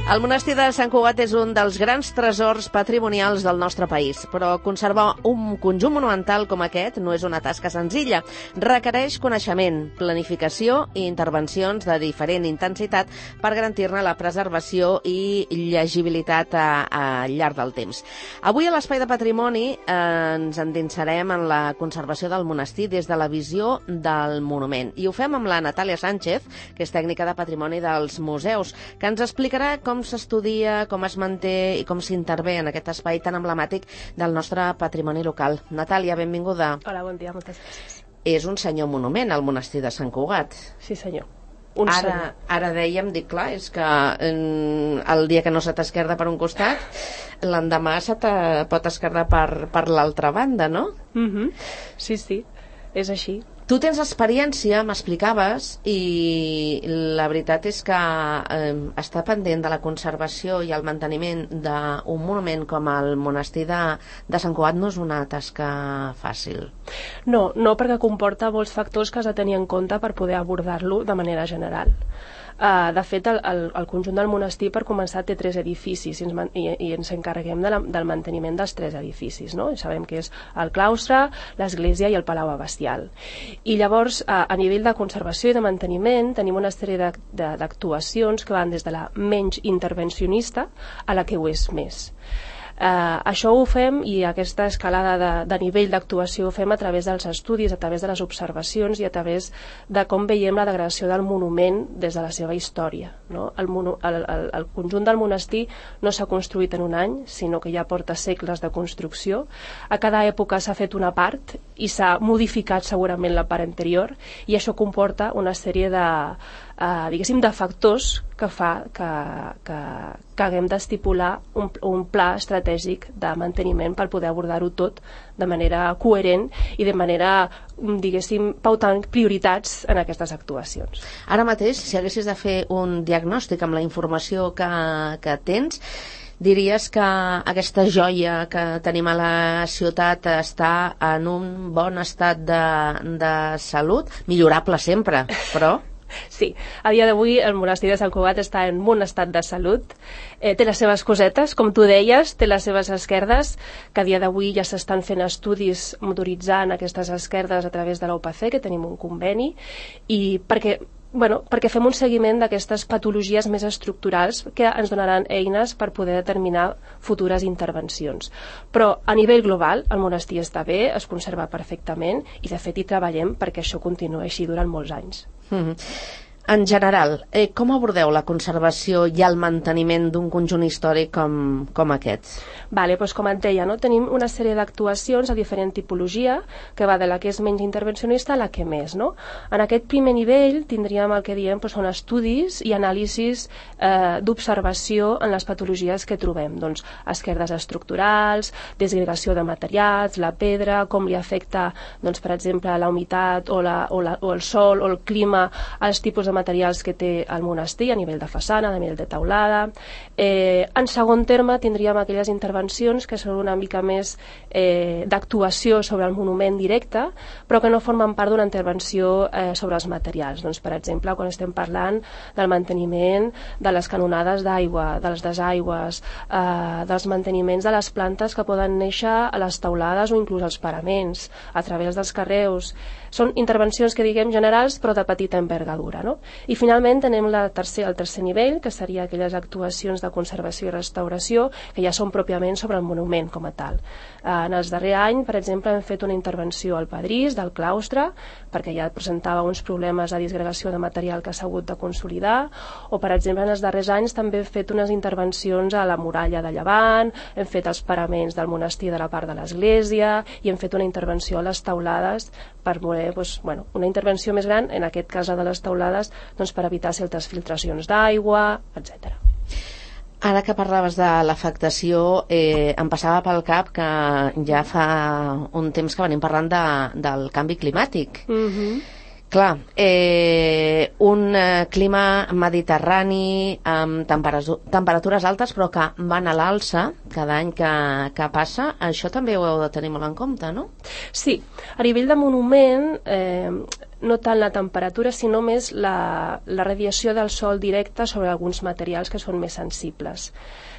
El monestir de Sant Cugat és un dels grans tresors patrimonials del nostre país, però conservar un conjunt monumental com aquest no és una tasca senzilla. Requereix coneixement, planificació i intervencions de diferent intensitat per garantir-ne la preservació i llegibilitat al llarg del temps. Avui a l'Espai de Patrimoni ens endinsarem en la conservació del monestir des de la visió del monument. I ho fem amb la Natàlia Sánchez, que és tècnica de patrimoni dels museus, que ens explicarà com s'estudia, com es manté i com s'intervé en aquest espai tan emblemàtic del nostre patrimoni local. Natàlia, benvinguda. Hola, bon dia, moltes gràcies. És un senyor monument, el monestir de Sant Cugat. Sí, senyor. Ara dèiem, dic, clar, és que el dia que no se t'esquerda per un costat, l'endemà se te pot esquerdar per l'altra banda, no? Sí, és així. Tu tens experiència, m'explicaves, i la veritat és que estar pendent de la conservació i el manteniment d'un monument com el monestir de Sant Cugat no és una tasca fàcil. No, perquè comporta molts factors que has de tenir en compte per poder abordar-lo de manera general. De fet, el conjunt del monestir, per començar, té 3 edificis i ens encarreguem del manteniment dels 3 edificis, no? I sabem que és el claustre, l'església i el palau abastial. I llavors, a nivell de conservació i de manteniment, tenim una sèrie d'actuacions que van des de la menys intervencionista a la que ho és més. Això ho fem, i aquesta escalada de nivell d'actuació ho fem a través dels estudis, a través de les observacions i a través de com veiem la degradació del monument des de la seva història, no? El conjunt del monestir no s'ha construït en un any, sinó que ja porta segles de construcció. A cada època s'ha fet una part i s'ha modificat segurament la part anterior, i això comporta una sèrie de factors que fa que haguem d'estipular un pla estratègic de manteniment per poder abordar-ho tot de manera coherent i de manera, pautant prioritats en aquestes actuacions. Ara mateix, si haguessis de fer un diagnòstic amb la informació que tens, diries que aquesta joia que tenim a la ciutat està en un bon estat de salut, millorable sempre, però... Sí, a dia d'avui el monestir de Sant Cugat està en bon estat de salut, té les seves cosetes, com tu deies, té les seves esquerdes, que a dia d'avui ja s'estan fent estudis motoritzant aquestes esquerdes a través de la UPC, que tenim un conveni, i perquè fem un seguiment d'aquestes patologies més estructurals que ens donaran eines per poder determinar futures intervencions. Però a nivell global el monestir està bé, es conserva perfectament, i de fet hi treballem perquè això continuï així durant molts anys. En general, com abordeu la conservació i el manteniment d'un conjunt històric com aquest? Doncs com et deia, tenim una sèrie d'actuacions a diferent tipologia, que va de la que és menys intervencionista a la que més. En aquest primer nivell tindríem el que diem són estudis i anàlisis d'observació en les patologies que trobem. Doncs esquerdes estructurals, desgregació de materials, la pedra, com li afecta, per exemple, la humitat o el sol o el clima als tipus de materials que té el monestir a nivell de façana, a nivell de teulada. En segon terme tindríem aquelles intervencions que són una mica més d'actuació sobre el monument directe, però que no formen part d'una intervenció sobre els materials. Per exemple, quan estem parlant del manteniment de les canonades d'aigua, de les desaigües, dels manteniments de les plantes que poden néixer a les teulades o inclús als paraments, a través dels carreus. Són intervencions que diguem generals però de petita envergadura, no? I finalment tenem el tercer nivell, que seria aquelles actuacions de conservació i restauració que ja són pròpiament sobre el monument com a tal. En els darrers anys, per exemple, hem fet una intervenció al pedrís del claustre, perquè ja presentava uns problemes de disgregació de material que s'ha hagut de consolidar, o per exemple en els darrers anys també hem fet unes intervencions a la muralla de Llevant, hem fet els paraments del monestir de la part de l'església i hem fet una intervenció a les teulades per voler, una intervenció més gran, en aquest cas la de les teulades, per evitar certes filtracions d'aigua, etc. Ara que parlaves de l'afectació, em passava pel cap que ja fa un temps que venim parlant del canvi climàtic. Clar, un clima mediterrani amb temperatures altes però que van a l'alça cada any que passa, això també ho heu de tenir molt en compte, no? Sí, a nivell de monument no tant la temperatura, sinó més la radiació del sol directe sobre alguns materials que són més sensibles.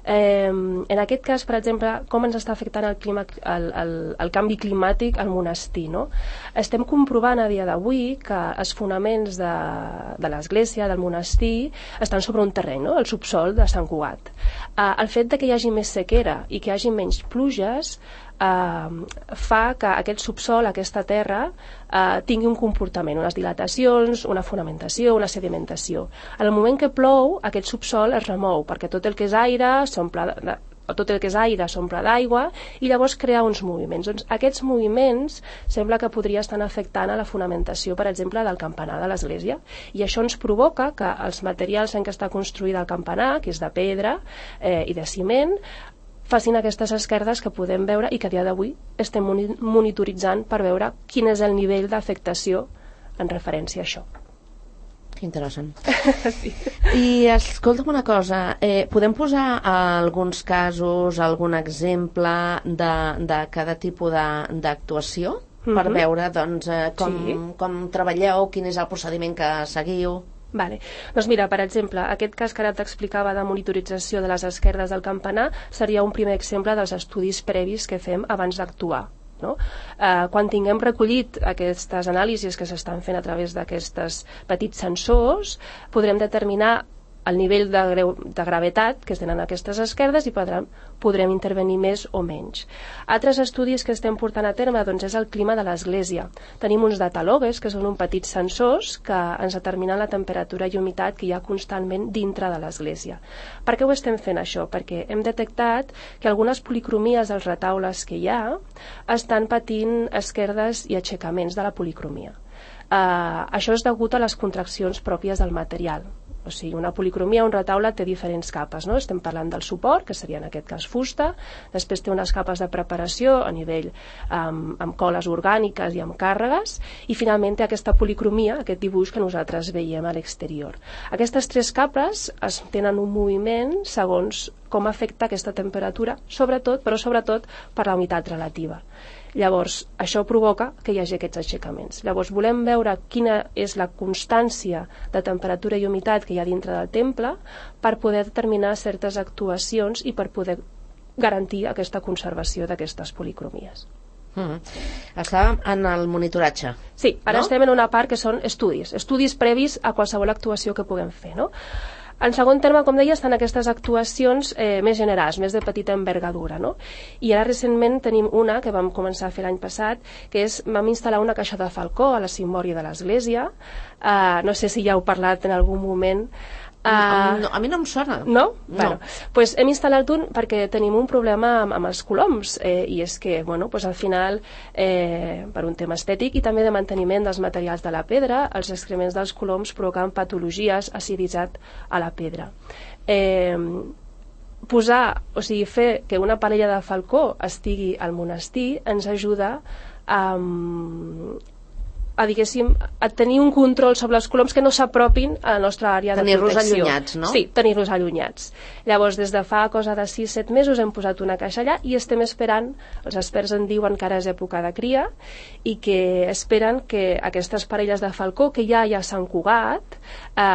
En aquest cas, per exemple, com ens està afectant el canvi climàtic al monestir, no? Estem comprovant a dia d'avui que els fonaments de l'església, del monestir, estan sobre un terreny, no? El subsol de Sant Cugat. El fet de que hi hagi més sequera i que hi hagi menys pluges fa que aquest subsol, aquesta terra, tingui un comportament, unes dilatacions, una fonamentació, una sedimentació. En el moment que plou, aquest subsol es remou, perquè tot el que és aire s'omple d'aigua i llavors crea uns moviments. Doncs aquests moviments sembla que podria estar afectant a la fonamentació, per exemple, del campanar de l'església. I això ens provoca que els materials en què està construïda el campanar, que és de pedra i de ciment, facin aquestes esquerdes que podem veure i que a dia d'avui estem monitoritzant per veure quin és el nivell d'afectació en referència a això. Que interessant. Sí. I escolta'm una cosa, podem posar alguns casos, algun exemple de cada tipus d'actuació per veure doncs, com treballeu, quin és el procediment que seguiu? Vale. Doncs mira, per exemple, aquest cas que ara t'explicava de monitorització de les esquerdes del campanar seria un primer exemple dels estudis previs que fem abans d'actuar. No? Quan tinguem recollit aquestes anàlisis que s'estan fent a través d'aquests petits sensors, podrem determinar el nivell de gravetat que tenen aquestes esquerdes i podrem intervenir més o menys. Altres estudis que estem portant a terme doncs, és el clima de l'església. Tenim uns datalògues, que són uns petits sensors que ens determinen la temperatura i humitat que hi ha constantment dintre de l'església. Per què ho estem fent això? Perquè hem detectat que algunes policromies dels retaules que hi ha estan patint esquerdes i aixecaments de la policromia. Això és degut a les contraccions pròpies del material. O sigui, una policromia, un retaule té diferents capes, no? Estem parlant del suport, que seria en aquest cas fusta, després té unes capes de preparació a nivell amb coles orgàniques i amb càrregues, i finalment té aquesta policromia, aquest dibuix que nosaltres veiem a l'exterior. Aquestes tres capes tenen un moviment segons com afecta aquesta temperatura, sobretot per la humitat relativa. Llavors, això provoca que hi hagi aquests aixecaments. Llavors, volem veure quina és la constància de temperatura i humitat que hi ha dintre del temple per poder determinar certes actuacions i per poder garantir aquesta conservació d'aquestes policromies. Estàvem en el monitoratge. Sí, ara estem en una part que són estudis previs a qualsevol actuació que puguem fer, no? En segon terme, com deia, estan aquestes actuacions més generals, més de petita envergadura, no? I ara recentment tenim una que vam començar a fer l'any passat, que és, vam instal·lar una caixa de falcó a la cimbòria de l'església. No sé si ja heu parlat en algun moment. No, a mi no em sona. No? Bueno, pues hem instal·lat un perquè tenim un problema amb els coloms i és que, bueno, pues al final per un tema estètic i també de manteniment dels materials de la pedra, els excrements dels coloms provoquen patologies aciditzat a la pedra. Fer que una parella de falcó estigui al monestir ens ajuda a tenir un control sobre els coloms que no s'apropin a la nostra àrea de protecció. Tenir-los allunyats, no? Sí, tenir-los allunyats. Llavors, des de fa cosa de 6-7 mesos hem posat una caixa allà i estem esperant, els experts en diuen que ara és època de cria i que esperen que aquestes parelles de falcó que ja hi ha a Sant Cugat,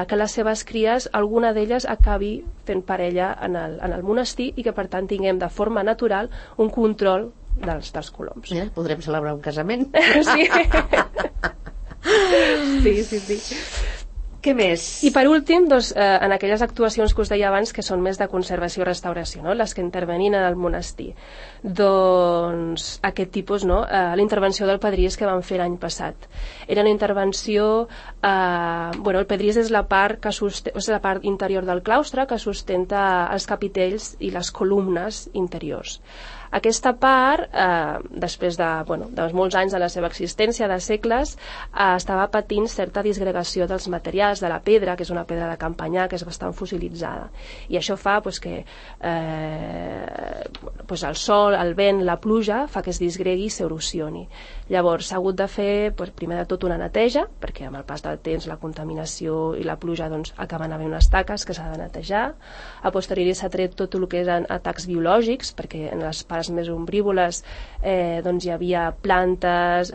que les seves cries, alguna d'elles acabi fent parella en el monestir i que per tant tinguem de forma natural un control dels coloms. Mira, podrem celebrar un casament. Sí. Sí. Què més? I per últim, doncs, en aquelles actuacions que us deia abans que són més de conservació i restauració, no? Les que intervenin en el monestir, doncs aquest tipus, no? La intervenció del pedrís que vam fer l'any passat era una intervenció el pedrís és la part la part interior del claustre que sustenta els capitells i les columnes interiors. Aquesta part, després de molts anys de la seva existència, de segles, estava patint certa disgregació dels materials, de la pedra, que és una pedra de campanyar, que és bastant fossilitzada. I això fa que el sol, el vent, la pluja, fa que es disgregui i s'erosioni. Llavors s'ha hagut de fer, primer de tot, una neteja, perquè amb el pas del temps la contaminació i la pluja acaben havent unes taques que s'ha de netejar. A posteriori s'ha tret tot el que eren atacs biològics, perquè en les parts més ombrívoles hi havia plantes,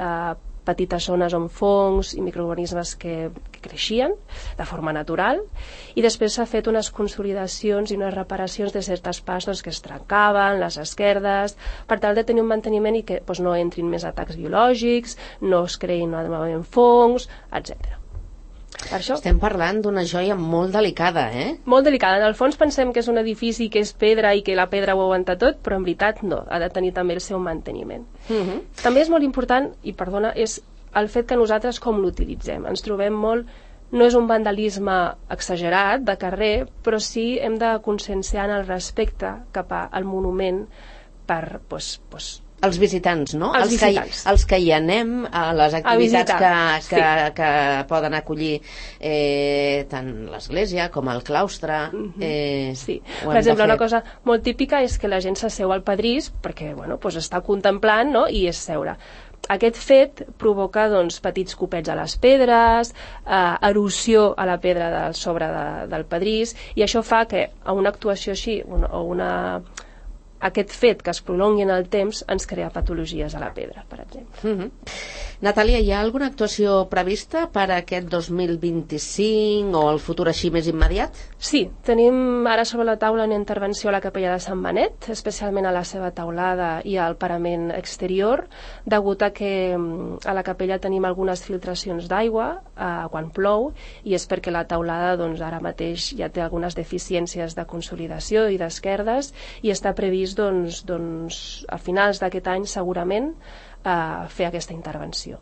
petites zones on fongs i microorganismes que creixien de forma natural, i després s'ha fet unes consolidacions i unes reparacions de certes parts que es trencaven, les esquerdes, per tal de tenir un manteniment i que no entrin més atacs biològics, no es creïn novament fongs, etc. Per això, estem parlant d'una joia molt delicada, Molt delicada. En el fons pensem que és un edifici que és pedra i que la pedra ho aguanta tot, però en veritat no, ha de tenir també el seu manteniment. També és molt important, i perdona, és el fet que nosaltres com l'utilitzem. Ens trobem molt, no és un vandalisme exagerat de carrer, però sí hem de conscienciar en el respecte cap al monument per els visitants, no? Els visitants. Els que hi anem a les activitats que poden acollir tant l'església com el claustre. Sí. Per exemple, una cosa molt típica és que la gent s'asseu al pedrís perquè està contemplant, no? I és seure. Aquest fet provoca petits copets a les pedres, erosió a la pedra sobre del pedrís, i això fa que a una actuació així aquest fet que es prolongui en el temps ens crea patologies a la pedra, per exemple. Natàlia, hi ha alguna actuació prevista per a aquest 2025 o el futur així més immediat? Sí, tenim ara sobre la taula una intervenció a la capella de Sant Benet, especialment a la seva teulada i al parament exterior, degut a que a la capella tenim algunes filtracions d'aigua quan plou, i és perquè la teulada ara mateix ja té algunes deficiències de consolidació i d'esquerdes, i està previst a finals d'aquest any segurament fer aquesta intervenció.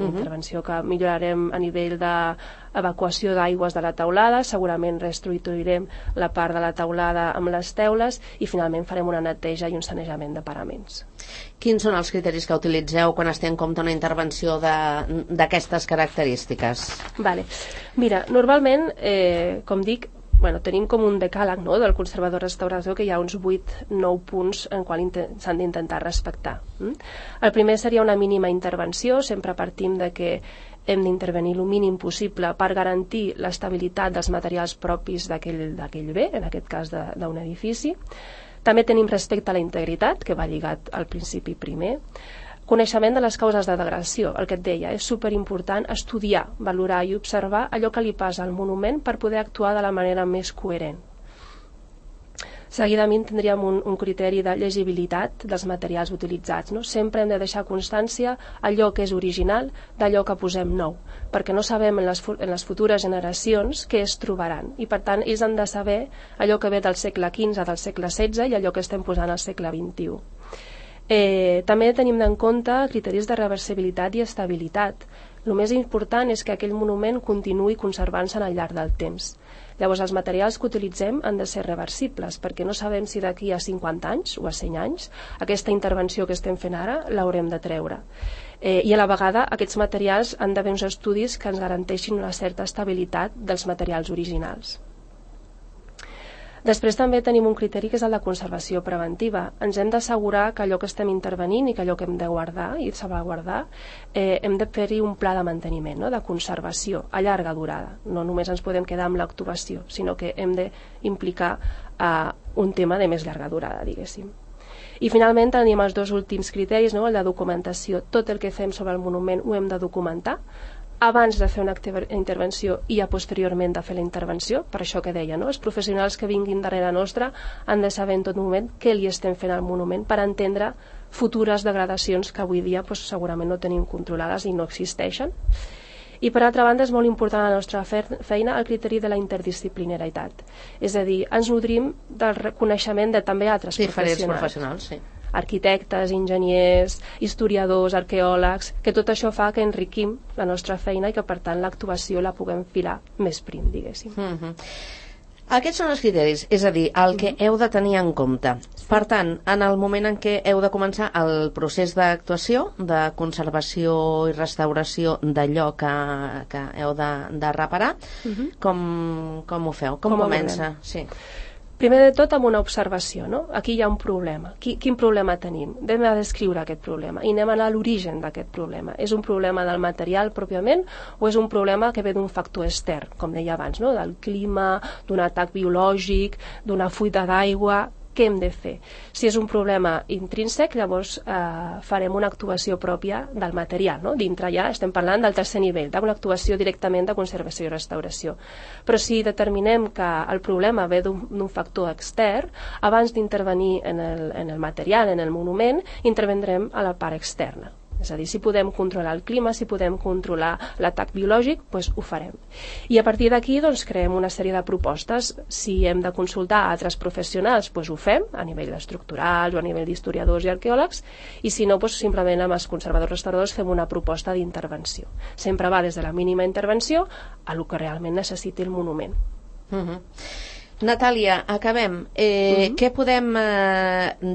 Intervenció que millorarem a nivell d'evacuació d'aigües de la teulada, segurament reestructurarem la part de la teulada amb les teules i finalment farem una neteja i un sanejament de paraments. Quins són els criteris que utilitzeu quan es té en compte una intervenció d'aquestes característiques? Mira, normalment, com dic, tenim com un decàleg del conservador-restaurador que hi ha uns 8-9 punts en qual s'han d'intentar respectar. El primer seria una mínima intervenció, sempre partim de que hem d'intervenir el mínim possible per garantir l'estabilitat dels materials propis d'aquell bé, en aquest cas d'un edifici. També tenim respecte a la integritat, que va lligat al principi primer. Coneixement de les causes de degradació, el que et deia, és superimportant estudiar, valorar i observar allò que li passa al monument per poder actuar de la manera més coherent. Seguidament tindríem un criteri de llegibilitat dels materials utilitzats. Sempre hem de deixar constància allò que és original d'allò que posem nou, perquè no sabem en les futures generacions què es trobaran, i per tant ells han de saber allò que ve del segle XV, del segle XVI i allò que estem posant al segle XXI. També tenim en compte criteris de reversibilitat i estabilitat. El més important és que aquell monument continuï conservant-se al llarg del temps. Llavors, els materials que utilitzem han de ser reversibles, perquè no sabem si d'aquí a 50 anys o a 100 anys aquesta intervenció que estem fent ara l'haurem de treure. I a la vegada aquests materials han d'haver uns estudis que ens garanteixin una certa estabilitat dels materials originals. Després també tenim un criteri que és el de conservació preventiva. Ens hem d'assegurar que allò que estem intervenint i que allò que hem de guardar i salvaguardar, hem de fer-hi un pla de manteniment, de conservació a llarga durada. No només ens podem quedar amb l'actuació, sinó que hem d'implicar un tema de més llarga durada, diguéssim. I finalment tenim els dos últims criteris, el de documentació. Tot el que fem sobre el monument ho hem de documentar abans de fer una intervenció i posteriorment de fer la intervenció. Per això que deia, els professionals que vinguin darrere nostra han de saber en tot moment què li estem fent al monument per entendre futures degradacions que avui dia segurament no tenim controlades i no existeixen. I per altra banda és molt important a la nostra feina el criteri de la interdisciplinaritat, és a dir, ens nodrim del reconeixement de també altres professionals, sí. Arquitectes, enginyers, historiadors, arqueòlegs, que tot això fa que enriquim la nostra feina i que per tant l'actuació la puguem filar més prim, diguéssim. Aquests són els criteris, és a dir, el que heu de tenir en compte. Per tant, en el moment en què heu de començar el procés d'actuació, de conservació i restauració d'allò que heu de reparar, com ho feu? Com comença? Sí. Primer de tot amb una observació, Aquí hi ha un problema. Quin problema tenim? Anem a descriure aquest problema i anem a anar a l'origen d'aquest problema. És un problema del material pròpiament o és un problema que ve d'un factor extern, com deia abans, del clima, d'un atac biològic, d'una fuita d'aigua? què hem de fer. Si és un problema intrínsec, llavors farem una actuació pròpia del material, no? Dintre ja estem parlant del tercer nivell, d'una actuació directament de conservació i restauració. Però si determinem que el problema ve d'un factor extern, abans d'intervenir en el material, en el monument, intervendrem a la part externa. És a dir, si podem controlar el clima, si podem controlar l'atac biològic, doncs ho farem. I a partir d'aquí doncs, creem una sèrie de propostes. Si hem de consultar altres professionals, doncs ho fem, a nivell estructural o a nivell d'historiadors i arqueòlegs, i si no, doncs, simplement amb els conservadors restauradors fem una proposta d'intervenció. Sempre va des de la mínima intervenció a el que realment necessiti el monument. Natàlia, acabem. Què podem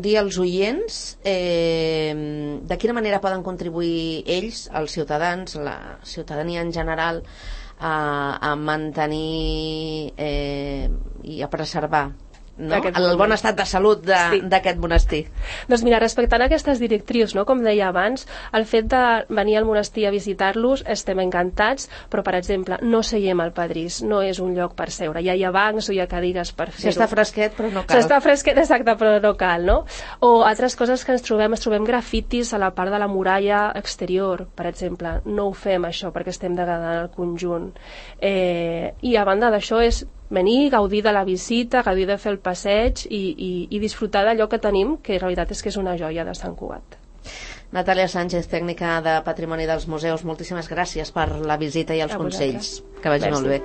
dir als oients? De quina manera poden contribuir ells, els ciutadans, la ciutadania en general, a mantenir i a preservar, no? El bon estat de salut d'aquest monestir? Doncs mira, respectant aquestes directrius, no? Com deia abans, el fet de venir al monestir a visitar-los estem encantats, però per exemple no seiem al pedrís, no és un lloc per seure, ja hi ha bancs o hi ha cadires per fer-ho. S'està fresquet però no cal. S'està fresquet, exacte, però no cal, no? O altres coses que ens trobem grafitis a la part de la muralla exterior, per exemple, no ho fem això perquè estem degradant el conjunt. I a banda d'això és venir, gaudir de la visita, gaudir de fer el passeig i disfrutar d'allò que tenim, que en realitat és que és una joia de Sant Cugat. Natàlia Sánchez, tècnica de Patrimoni dels Museus, moltíssimes gràcies per la visita i els consells. Que vagi molt bé.